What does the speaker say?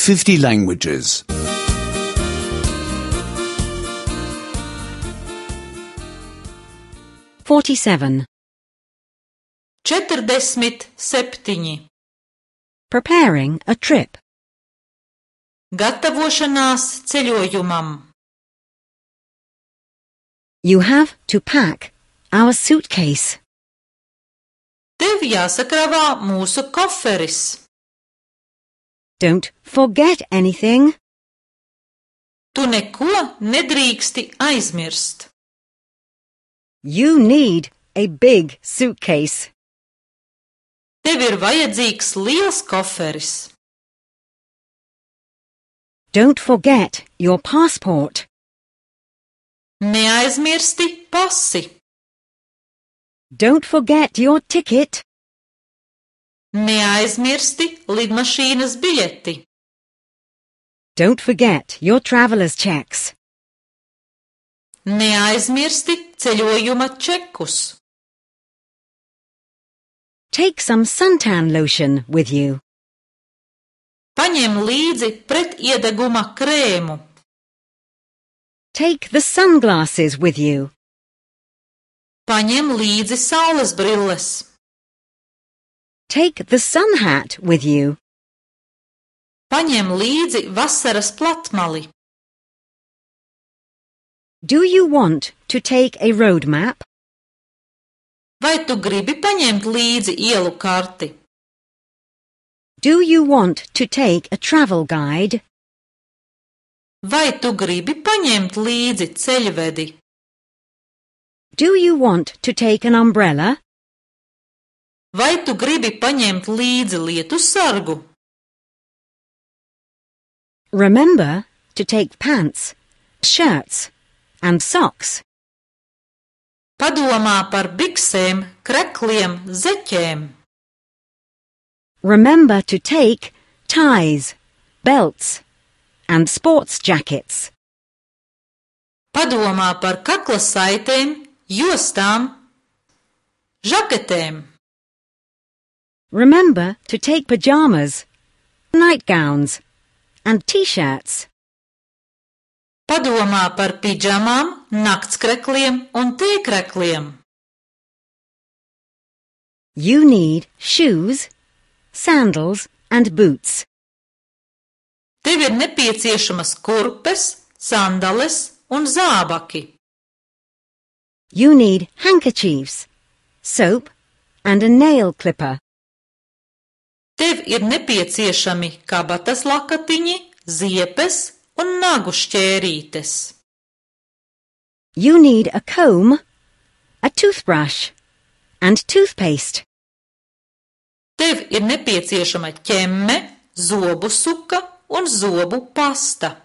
50 languages. 47. 47. Preparing a trip. Gatavošanās ceļojumam. You have to pack our suitcase. Tev jāsakrāvā mūsu koferis. Don't forget anything. Tu neko nedrīksti aizmirst. You need a big suitcase. Tev ir vajadzīgs liels koferis. Don't forget your passport. Neaizmirsti pasi. Don't forget your ticket. Neaizmirsti lidmašīnas biļeti. Don't forget your traveler's checks. Neaizmirsti ceļojuma čekus. Take some suntan lotion with you. Paņem līdzi pretiedeguma krēmu. Take the sunglasses with you. Paņem līdzi saules brilles. Take the sun hat with you. Paņem līdzi vasaras platmali. Do you want to take a road map? Vai tu gribi paņemt līdzi ielu karti? Do you want to take a travel guide? Vai tu gribi paņemt līdzi ceļvedi? Do you want to take an umbrella? Vai tu gribi paņemt līdzi lietussargu? Remember to take pants, shirts, and socks. Padomā par biksēm, krekliem, zeķēm. Remember to take ties, belts, and sports jackets. Padomā par kakla saitēm, jostām, žaketēm. Remember to take pajamas, nightgowns, and t-shirts. Padomā par pidžamām, naktskrekliem un tēkrekliem. You need shoes, sandals, and boots. Tev ir nepieciešamas kurpes, sandales un zābaki. You need handkerchiefs, soap, and a nail clipper. Tev ir nepieciešami kabatas lakatiņi, ziepes un nagu šķērītes. You need a comb, a toothbrush, and toothpaste. Tev ir nepieciešama ķemme, zobu suka un zobu pasta.